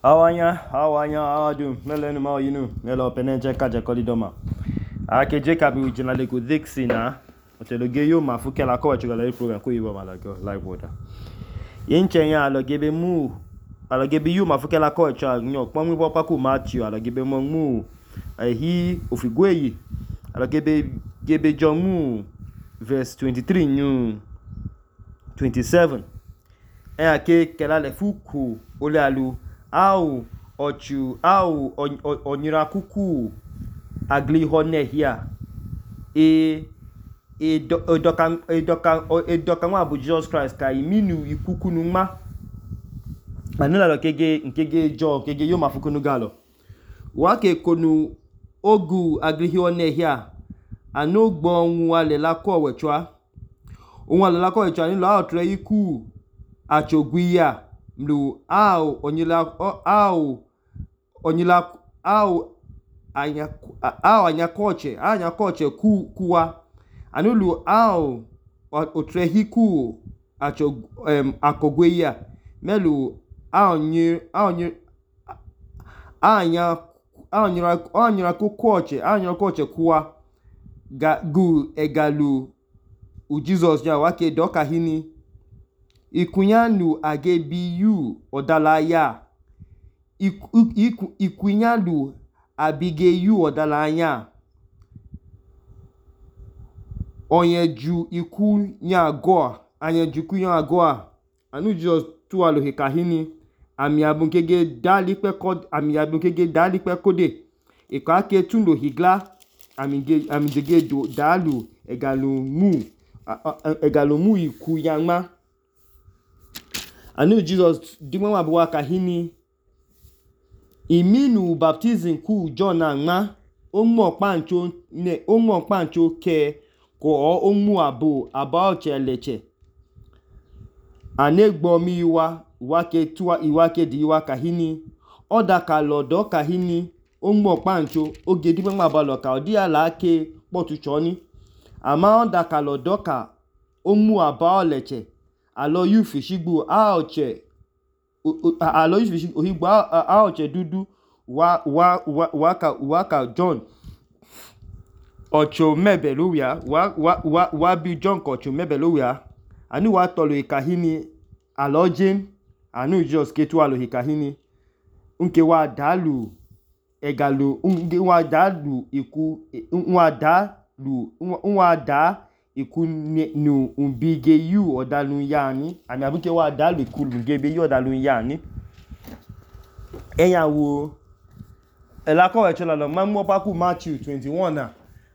Awanya, awadu, melenu ma oyinu, melo penenche kaje kolidoma. Ake Jacob wijina lego dixi na, oteloge yo ma fuke la ko chugala program ko yibo malago live water. Yenche ya alogebe mu, alogebe yo ma fuke la ko cha nyo pon mi bo paku Matthew alogebe mo mu hi ofigweyi. Alogebe John mu verse 23 nyu 27. Ake kela le fuku ole alu au onyira kuku agli hone here edokan wa bu Jesus Christ ka iminu ikuku numa anula lo nkege jo nkege yo mafuku nu galo wa ke konu ogu agli hone here anogbo ohun ale la ko wechwa ohun ale la ko wechwa ni lo otre iku achogwiya mlu anya koche kuwa anulu otrehiku akogweya melu anya koche kuwa gu egalu u Jesus ya wake doka hini ikunyanu agebiyu odalaya ikunyanu abigeyu odalaya onyeju ikunyagoa anu Jesus tuwalo hekahini ami abunkege dalipe kode ikake tundo higla ami dege dalu egalumu ikuyama anu Jesus dimwa wabuwa kahini iminu baptism ku John anma omo pancho ke ko omu aba oche leche anegbo mi iwake di iwa kahini odaka lodo kahini omo pancho oge dimwa abalo ka odi ala ke potu choni ama odaka lodo ka omu aba oleche alo yufi shigbu aoche dudu waka John ocho mebeluya wa bi John kocho mebeluya anu wa tolo ikahini alojin anu Jesus ketu alo ikahini unke wa dalu egalu unge wa dalu iku wa da iku nu umbige yu odalu yani ani abuke wa dalu iku ngebe yu odalu yani eyawo elako wechola lo mamu opaku Matthew 21 na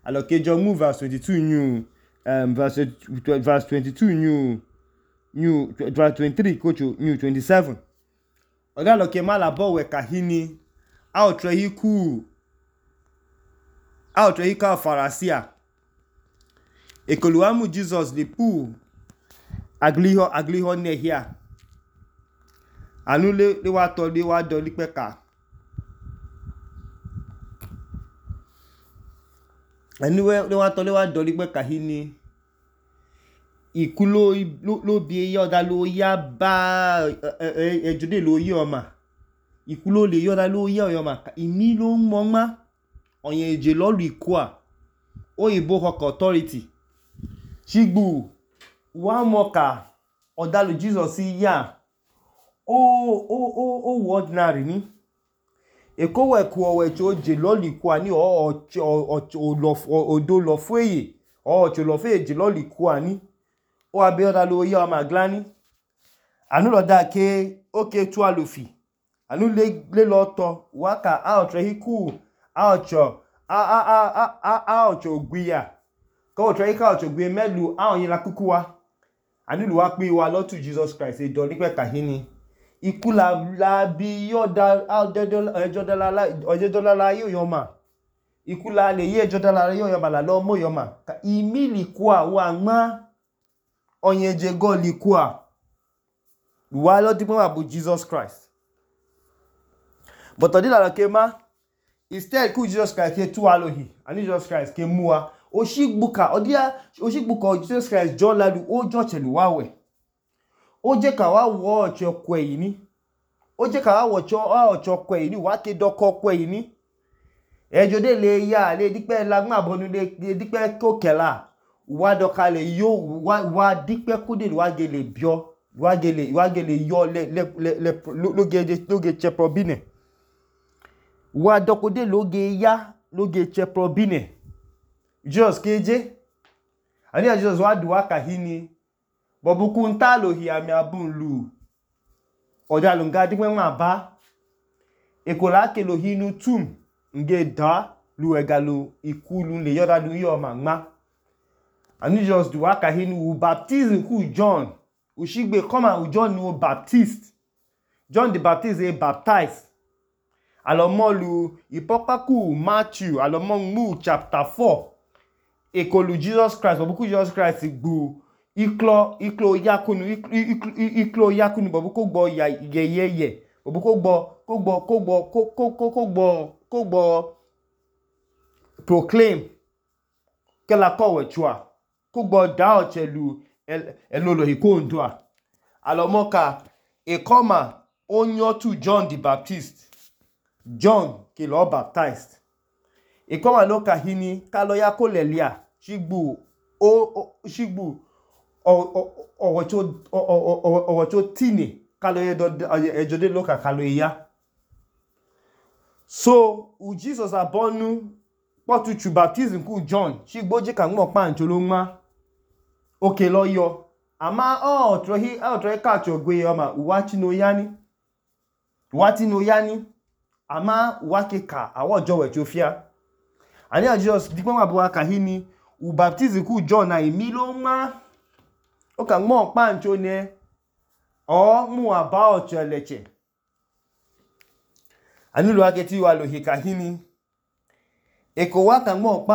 alokejo mu verse 22 new verse 22 new verse 23 kocho new 27 oga loke malabo we kahini outre hiku farasia ekoluamu Jesus lipu agliho nehia anu le wa do lipeka anu le wa do lipeka hini ikulo lo bi yoda lo ya ba ejude lo yi oma ikulo le yoda lo ya oyoma imi lo moma oyen eje lolu ikua oyibo hawk authority shigbu wa moka odalu Jesus ya o ordinary ni ekowe ku owecho oje lolu ikua ni odo lo fueye ocho lo fe eje lolu ikua ni o abi odalu ya ma glani anu lo da ke oke tu alufi anu le lo to waka outre hiku oucho gwiya ko outre hiku oucho gwiya melu awon la kukuwa anu lu wa pe wa lotu Jesus Christ e do nipe kahini ikula bi yoda ojedola la yoma ikula le ye jodala la yoma la lo mo yoma ka imili kwa wa ma onyeje go likwa wa lo dipo abu Jesus Christ but odila lokema instead ku Jesus Christ ke tu alohi ani Jesus Christ ke muwa oshigbuka Jesus Christ John ladu o jo chelu wawe o je ka wa wo oche kwe yi ni je ka ocho kwe ni wa ke doko kwe ni ejode le ya le dipe lagma bonu le dipe kokela wa doka le yo wa dipe kude wa gele bio wa gele yo le loge cheprobine wa dokode loge ya loge cheprobine Jesus keje ani Jesus wa duwa kahini bobuku ntalo hi ami abunlu oja lunga dipe ma ba ekola ke lo hinu tum nge da lu egalo ikulu le yoda du yo magma ani Jesus duwa kahini u baptism ku John ushigbe come and John no Baptist John the Baptist is baptized alomolu ipopaku Matthew alomo chapter 4 ekolu Jesus Christ bobuku Jesus Christ gbu iklo yakunu bobuku gbo yeye bobuku gbo proclaim kela kowe chua kugbo da ochelu elolo hikondua alomoka ekoma onyo to John the Baptist John ke lo baptized ekoma loka hini kalo ya kolelia shigbu owocho tine kalo ejode loka kalo ya so u Jesus abonu potuchu baptism ku John shigbo je kan mo pa ncholo nma oke lo yo ama trohi catch ogwe oma uwachi no yani ama uwake ka awojo we chofia ani Jesus dipo ma buwa kahini u baptism ku John na emilo nma o kan mo pa ncho ne o mu aba ocho leche ani lo ake ti wa lo hikahini eko wa kan mo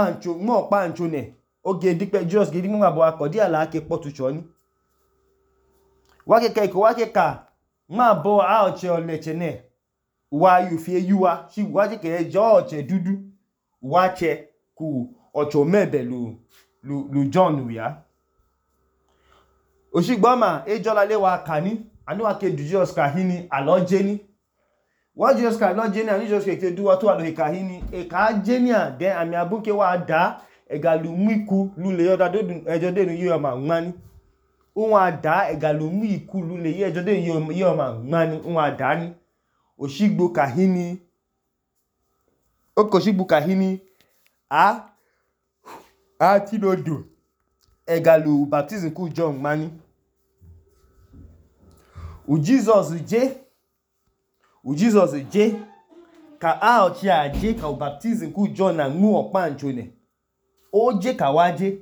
pa ncho ne oge dipe Jesus gidi mo abo akodi ala ke potucho ni wa ke eko wa ke ka ma bo a oche oleche ne wa yu fie yuwa shi wa je ke jo oche dudu wa che ku ocho mebe lu John ya oshigbo ma ejola le wa kani ani wa ke du Jesus kahini aloje ni wa Jesus ka aloje ni ani Jesus ke du wa to alo kahini e ka jenia den ami abunke wa da egalu miku lule yoda dodun ejode nu yo ma ngani won ada egalu miku lule ejode yo ma ngani won ada ni oshigbo kahini okoshigbo kahini a ti dodo egalu baptism ku John mani u Jesus je ka a ochi aje ka baptism ku John na mu opa ncho ne o je ka waje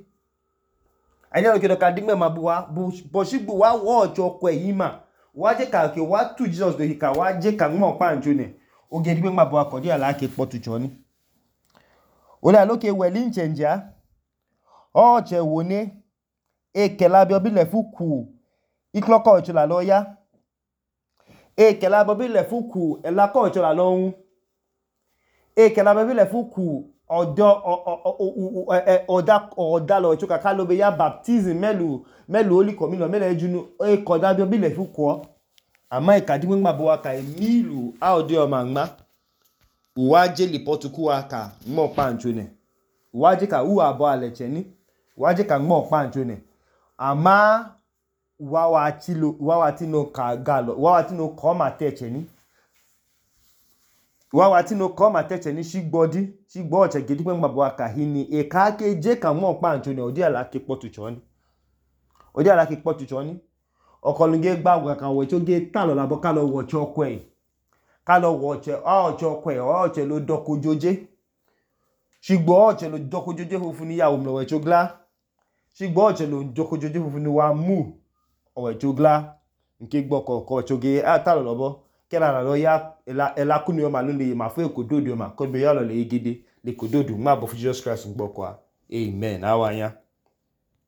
ani lo kedo ka digme mabuwa bo shigbu wa wo ojo kwe yima waje ka ke wa tu Jesus do hika waje ka mo pa njo ne o ge digme mabuwa ko di ala ke potu choni o la lo ke weli nchenja o che woni e ke la bi obi le fuku ikloko ocho la lo ya e ke la bi obi le fuku e la ko ocho la lo hun e ke la bi le fuku oda lo chuka ka lo be ya baptism melu holy communion mele ejunu e ko da bi obi le fuku ama e ka di ngba bo aka emilu a odi o magma uwaje lipotu ku aka mo pancho ne uwaje ka u abo aleche ni uwaje ka mo pancho ne ama wa tino ka galo wa tino ko ma teche ni wa tino ko ma teche ni shigbo oche gidi pe ngba bo aka hini e ka ke je ka mo pancho ne odi ala ke potu choni okolunge gbagwa kan we to ge talo labo ka lo wo chokwe ka lo wo che chokwe oche lo dokujoje shigbo oche lo dokujoje fufun ni yawo mlo we chogla shigbo oche lo dokujoje fufun ni wa mu owe chogla nke gboko ko choge talo labo kela la lo ya ela kunu yo ma lo le ma fu ekododo ma ko be yo lo le gidi le kododo ma bo Jesus Christ gboko amen awanya